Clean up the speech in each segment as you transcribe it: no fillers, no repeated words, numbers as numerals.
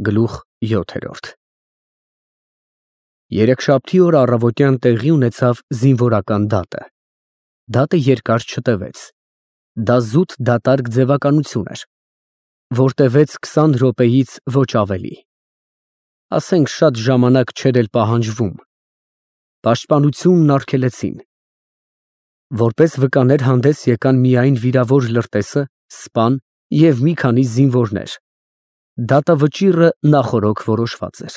Գլուխ 7 Երեքշաբթի օր առավոտյան տեղի ունեցավ զինվորական դատը։ Դատը երկար չտևեց։ Դա զուտ դատարկ ձևականություն էր, որ տևեց 20 րոպեից ոչ ավելի։ Ասենք շատ ժամանակ չէր էլ պահանջվում։ Պաշտպանությունն արգելեցին։ Որպես վկաներ հանդես եկան միայն վիրավոր լրտեսը, սպան և մի քանի զինվորներ։ Դատավճիռը նախօրոք որոշված էր։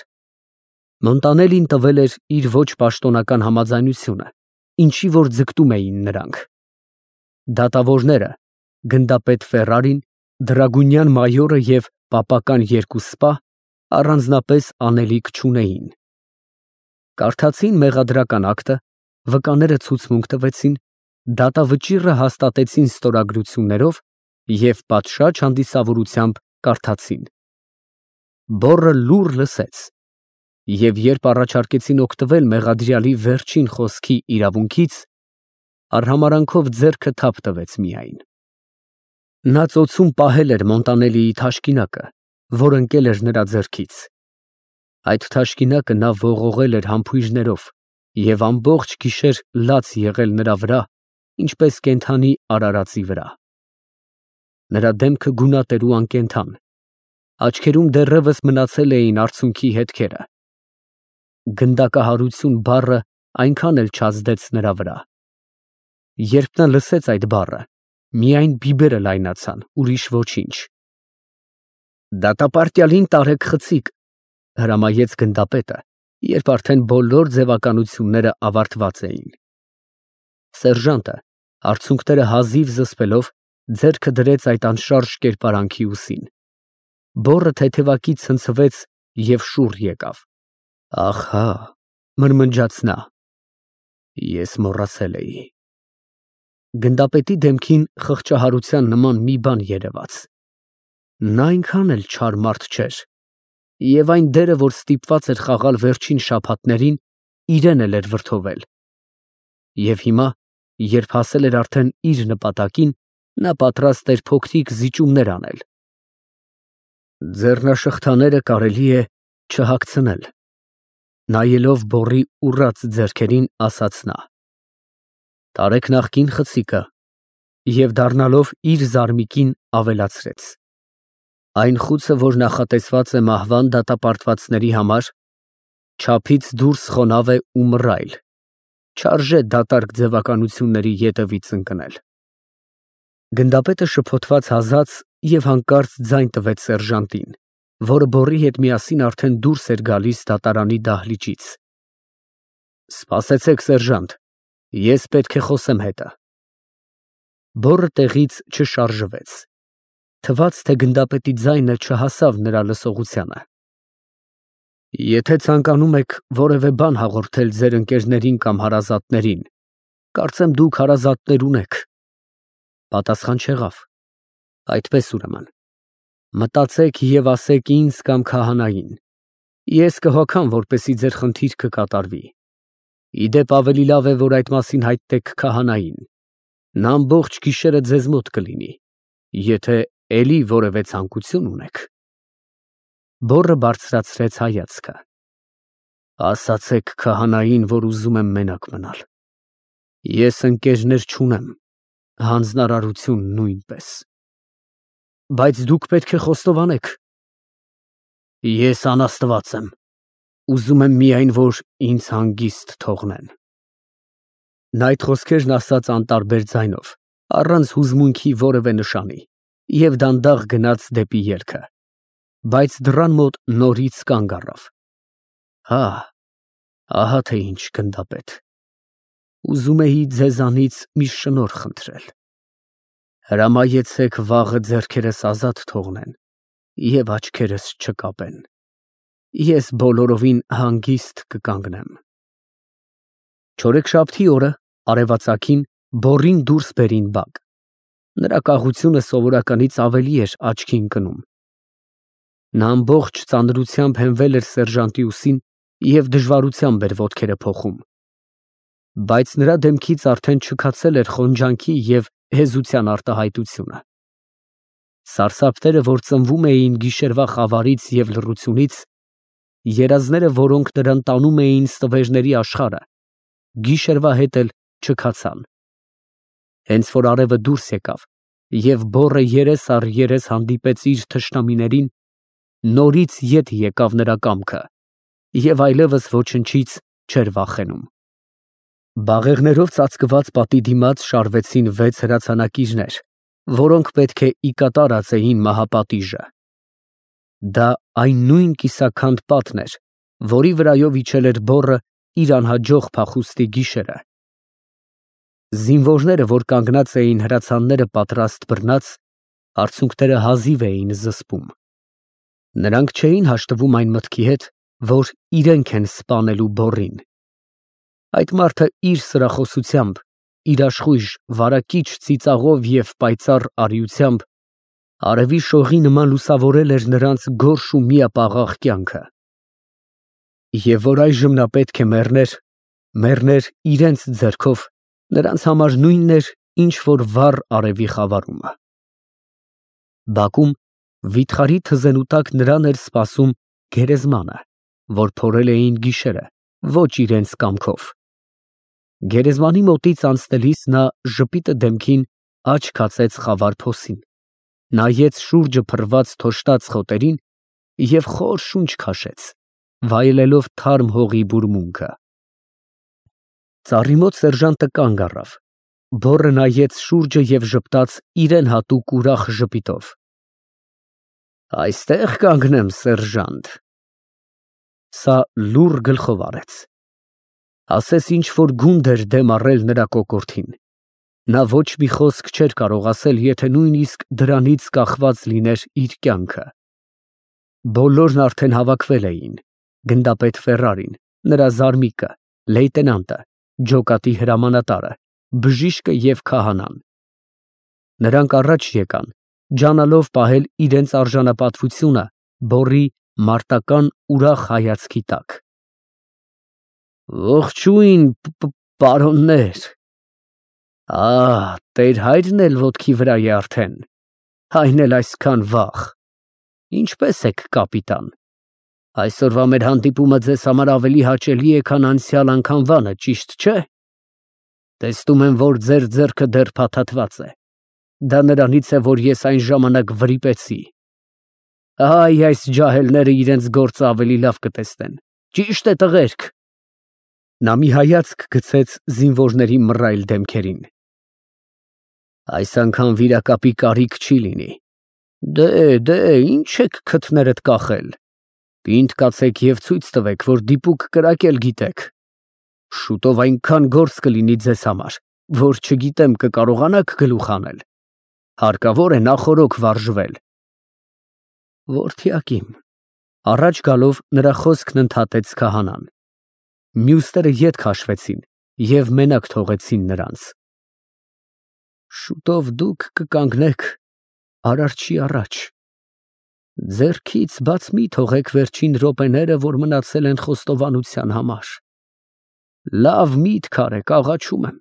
Մոնտանելին տվել էր իր ոչ պաշտոնական համաձայնությունը, ինչի որ ձգտում էին նրանք։ Դատավորները՝ գնդապետ Ֆերրարին, դրագունյան մայորը և պապական երկու սպա, առանձնապես անելիք չունեին։ Կարդացին մեղադրական ակտը, վկաները ցուցմունք տվեցին, դատավճիռը հաստատեցին ստորագրություններով և պատշաճ հանդիսավորությամբ կարդացին։ Բոռը լուռ լսեց, և երբ առաջարկեցին օգտվել մեղադրյալի վերջին խոսքի իրավունքից, արհամարհանքով ձեռքը թափ տվեց միայն։ Նա ծոցում պահել էր Մոնտանելիի թաշկինակը, որ ընկել էր նրա ձեռքից։ Այդ թաշկինակը նա ողողել էր համբույրներով և ամբողջ գիշեր լաց եղել նրա վրա, ինչպես կենդանի արարածի վրա։ Նրա դեմքը գունատ էր ու անկենդան, աչքերում դեռևս մնացել էին արցունքի հետքերը։ Գնդակահարություն բառը այնքան էլ չազդեց նրա վրա։ Երբ նա լսեց այդ բառը, միայն բիբերը լայնացան, ուրիշ ոչինչ։ Դատապարտյալին տարեք խցիկ, հրամայեց գնդապետը, երբ արդեն բոլոր ձևականությունները ավարտված էին։ Սերժանտը, արցունքները հազիվ զսպելով, ձեռքը դրեց այդ անշարժ կերպարանքի ուսին։ Բոռը թեթևակի ցնցվեց և շուռ եկավ։ Ահա, մրմնջաց նա, ես մոռացել էի։ Գնդապետի դեմքին խղճահարության նման մի բան երևաց։ Նա այնքան էլ չար մարդ չէր, և այն դերը, որ ստիպված էր խաղալ վերջին շաբաթներին, իրեն էլ էր վրդովել։ Եվ հիմա, երբ հասել էր արդեն իր նպատակին, նա պատրաստ էր փոքրիկ զիջումներ անել։ Ձեռնաշղթաները կարելի է չհագցնել, նայելով բոռի ուռած ձեռքերին, ասաց նա։ Տարեք նախկին խցիկը, և դառնալով իր զարմիկին ավելացրեց. Այն խուցը, որ նախատեսված է մահվան դատապարտվածների համար, չափից դուրս խոնավ է ու մռայլ, չարժե դատարկ ձևականությունների ետևից ընկնել։ Գնդապետը շփոթված հազաց և հանկարծ ձայն տվեց սերժանտին, որը բոռի հետ միասին արդեն դուրս էր գալիս դատարանի դահլիճից։ Սպասեցեք, սերժանտ, ես պետք է խոսեմ հետը։ Բոռը տեղից չշարժվեց։ Թվաց, թե գնդապետի ձայնը չհասավ նրա լսողությանը։ Եթե ցանկանում եք որևէ բան հաղորդել ձեր ընկերներին կամ հարազատներին, կարծեմ դուք հարազատներ ունեք։ Պատասխան չեղավ։ Այդպես ուրեմն, մտածեք և ասեք ինձ կամ քահանային, ես կհոգամ, որպեսզի ձեր խնդիրքը կատարվի։ Ի դեպ, ավելի լավ է, որ այդ մասին հայտնեք քահանային, նա ամբողջ գիշերը ձեզ մոտ կլինի, եթե էլի որևէ ցանկություն ունեք։ Բոռը բարձրացրեց հայացքը։ Ասացեք քահանային, որ ուզում եմ մենակ մնալ։ Ես ընկերներ չունեմ, հանձնարարություն նույնպես։ Բայց դուք պետք է խոստովանեք։ Ես անաստված եմ, ուզում եմ միայն, որ ինձ հանգիստ թողնեն։ Նա այդ խոսքերն ասաց անտարբեր ձայնով, առանց հուզմունքի որևէ նշանի, և դանդաղ գնաց դեպի ելքը, բայց դռան մոտ նորից կանգ առավ։ Հա, ահա թե ինչ, գնդապետ, ուզում էի ձեզանից մի շնորհ խնդրել։ Հրամայեցեք վաղը ձեռքերս ազատ թողնեն և աչքերս չկապեն։ Ես բոլորովին հանգիստ կկանգնեմ։ Չորեքշաբթի օրը, արևածագին, բոռին դուրս բերին բակ։ Նրա կաղությունը սովորականից ավելի էր աչքի ընկնում։ Նա ամբողջ ծանրությամբ հենվել էր սերժանտի ուսին և դժվարությամբ էր ոտքերը փոխում։ Բայց նրա դեմքից արդեն չքացել էր խոնջանքի և հեզության արտահայտությունը։ Սարսափները, որ ծնվում էին գիշերվա խավարից և լռությունից, երազները, որոնք նրան տանում էին ստվերների աշխարհը, գիշերվա հետ էլ չքացան։ Հենց որ արևը դուրս եկավ և բոռը երես առ երես հանդիպեց իր թշնամիներին, նորից ետ եկավ նրա կամքը և այլևս ոչնչից չէր վախենում։ Բաղեղներով ծածկված պատի դիմաց շարվեցին 6 հրացանակիրներ, որոնք պետք է ի կատար ածեին մահապատիժը։ Դա այն նույն կիսաքանդ պատն էր, որի վրայով իջել էր բոռը իր անհաջող փախուստի գիշերը։ Զինվորները, որ կանգնած էին հրացանները պատրաստ բռնած, արցունքները հազիվ էին զսպում։ Նրանք չէին հաշտվում այն մտքի հետ, որ իրենք են սպանելու բոռին։ Այդ մարդը իր սրախոսությամբ, իր աշխույժ, վարակիչ ծիծաղով և պայծառ արիությամբ արևի շողի նման լուսավորել էր նրանց գորշ ու միապաղաղ կյանքը։ Եվ որ այժմ նա պետք է մեռներ իրենց ձեռքով, նրանց համար նույնն էր, ինչ որ վառ արևի խավարումը։ Բակում վիթխարի թզենու տակ նրան էր սպասում գերեզմանը, որ փորել էին գիշերը, ոչ իրենց կամքով։ Գերեզմանի մոտից անցնելիս նա ժպիտը դեմքին աջ քացեց խավար փոսին, նայեց շուրջը փռված թոշտաց խոտերին և խոր շունչ քաշեց, վայելելով թարմ հողի բուրմունքը։ Ծառի մոտ սերժանտը կանգ առավ, բոռը նայեց շուրջը և ժպտաց իրան հատուկ ուրախ ժպիտով։ Այստեղ կանգնեմ, սերժանտ։ Սա լուռ գլխով արեց։ Ասես ինչ֊որ գունդ էր դեմ առել նրա կոկորդին։ Նա ոչ մի խոսք չէր կարող ասել, եթե նույնիսկ դրանից կախված լիներ իր կյանքը։ Բոլորն արդեն հավաքվել էին. գնդապետ Ֆերրարին, նրա զարմիկը, լեյտենանտը, ջոկատի հրամանատարը, բժիշկը և քահանան։ Նրանք առաջ եկան, ջանալով պահել իրենց արժանապատվությունը բոռի մարտական ուրախ հայացքի տակ։ Ողջույն, պարոններ։ Տեր-հայրն էլ ոտքի վրա է արդեն, այն էլ այսքան վաղ։ Ինչպե՞ս եք, կապիտան։ Այսօրվա մեր հանդիպումը ձեզ համար ավելի հաճելի է, քան անցյալ անգամվանը, ճիշտ չէ։ Տեսնում եմ, որ ձեր ձեռքը դեռ փաթաթված է։ Դա նրանից է, որ ես այն ժամանակ վրիպեցի։ Այս ջահելները իրենց գործը ավելի լավ կտեսնեն։ Ճիշտ է, տղերք։ Նա մի հայացք գցեց զինվորների մռայլ դեմքերին։ Այս անգամ վիրակապի կարիք չի լինի։ Դե, ինչ եք քթներդ կախել։ Պինդ կացեք և ցույց տվեք, որ դիպուկ կրակել գիտեք։ Շուտով այնքան գործ կլինի ձեզ համար, որ չգիտեմ կկարողանաք գլուխ հանել։ Հարկավոր է նախօրոք վարժվել։ Որդյակ իմ, առաջ գալով նրա խոսքն ընդհատեց քահանան։ Մյուսները ետ քաշվեցին և մենակ թողեցին նրանց։ Շուտով դուք կկանգնեք Արարչի առաջ։ Ձեռքից բաց մի թողեք վերջին րոպեները, որ մնացել են խոստովանության համար։ Լավ միտք արեք, աղաչում եմ,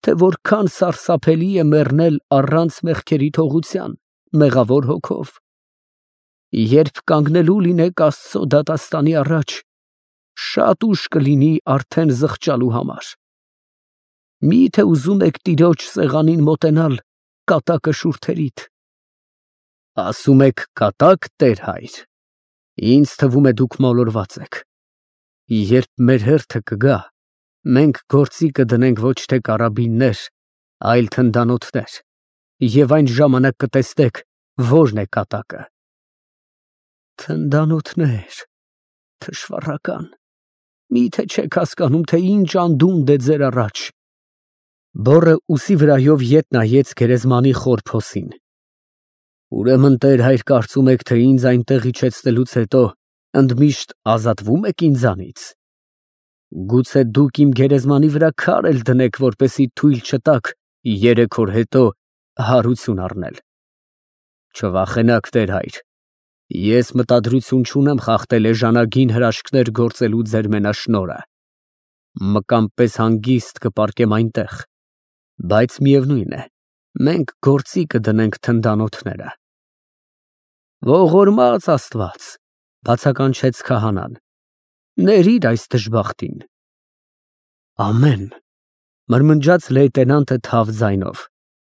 թե որքան սարսափելի է մեռնել առանց մեղքերի թողության, մեղավոր հոգով։ Երբ կանգնելու լինեք Աստծո դատաստանի առաջ, շատ ուշ կլինի արդեն զղջալու համար։ Մի՞թե ուզում եք տիրոջ սեղանին մոտենալ կատակը շուրթերիդ։ Ասում եք կատակ, տեր֊հայր։ Ինձ թվում է դուք մոլորված եք։ Երբ մեր հերթը կգա, մենք գործի կդնենք ոչ թե կարաբիններ, այլ թնդանոթներ, և այն ժամանակ կտեսնեք որն է կատակը։ Թնդանոթներ, թշվառական, մի՞թե չեք հասկանում, թե ինչ անդունդ է ձեր առաջ։ Բոռը ուսի վրայով ետ նայեց գերեզմանի խոր փոսին։ Ուրեմն տեր֊հայր, կարծում եք, թե ինձ այնտեղ իջեցնելուց հետո ընդմիշտ ազատվո՞ւմ եք ինձանից։ Գուցե դուք իմ գերեզմանի վրա քար էլ դնեք, որպեսզի թույլ չտաք 3 օր հետո հարություն առնել։ Չվախենաք, տեր֊հայր, ես մտադրություն չունեմ խախտել էժանագին հրաշքներ գործելու ձեր մենաշնորհը։ Մկան պես հանգիստ կպառկեմ այնտեղ, բայց միևնույն է, մենք գործի կդնենք թնդանոթները։ Ողորմած Աստված, բացականչեց քահանան, ներիր այս դժբախտին։ Ամեն, մրմնջաց լեյտենանտը թավ ձայնով,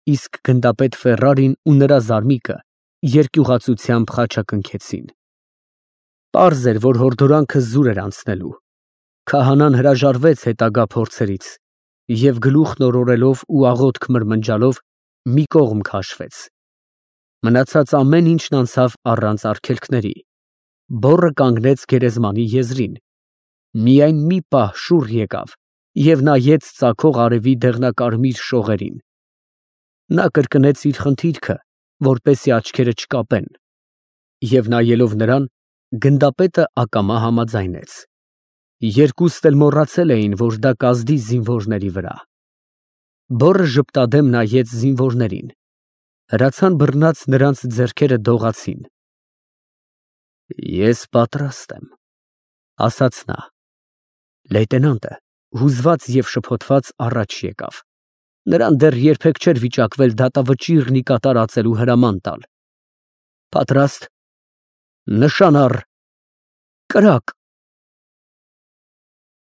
իսկ գնդապետ Ֆերրարին ու նրա զարմիկը երկյուղացությամբ խաչակնքեցին։ Պարզ էր, որ հորդորանքը զուր էր անցնելու։ Քահանան հրաժարվեց հետագա փորձերից և գլուխն օրորելով ու աղոթք մրմնջալով մի կողմ քաշվեց։ Մնացած ամեն ինչն անցավ առանց արգելքների։ Բոռը կանգնեց գերեզմանի եզրին։ Միայն մի պահ շուռ եկավ և նայեց ծագող արևի դեղնակարմիր շողերին։ Նա կրկնեց իր խնդիրքը, որպեսզի աչքերը չկապեն, և նայելով նրան, գնդապետը ակամա համաձայնեց։ Երկուստ էլ մոռացել էին, որ դա կազդի զինվորների վրա։ Բոռը ժպտադեմ նայեց զինվորներին։ Հրացան բռնած նրանց ձեռքերը դողացին։ Ես պատրաստ եմ, ասաց նա։ Լեյտենանտը, հուզված և շփոթված, առաջ եկավ։ Նրան դեռ երբեք չէր վիճակվել դատավճիռ մի կատարածելու հրաման տալ։ Պատրաստ, նշան առ, կրակ։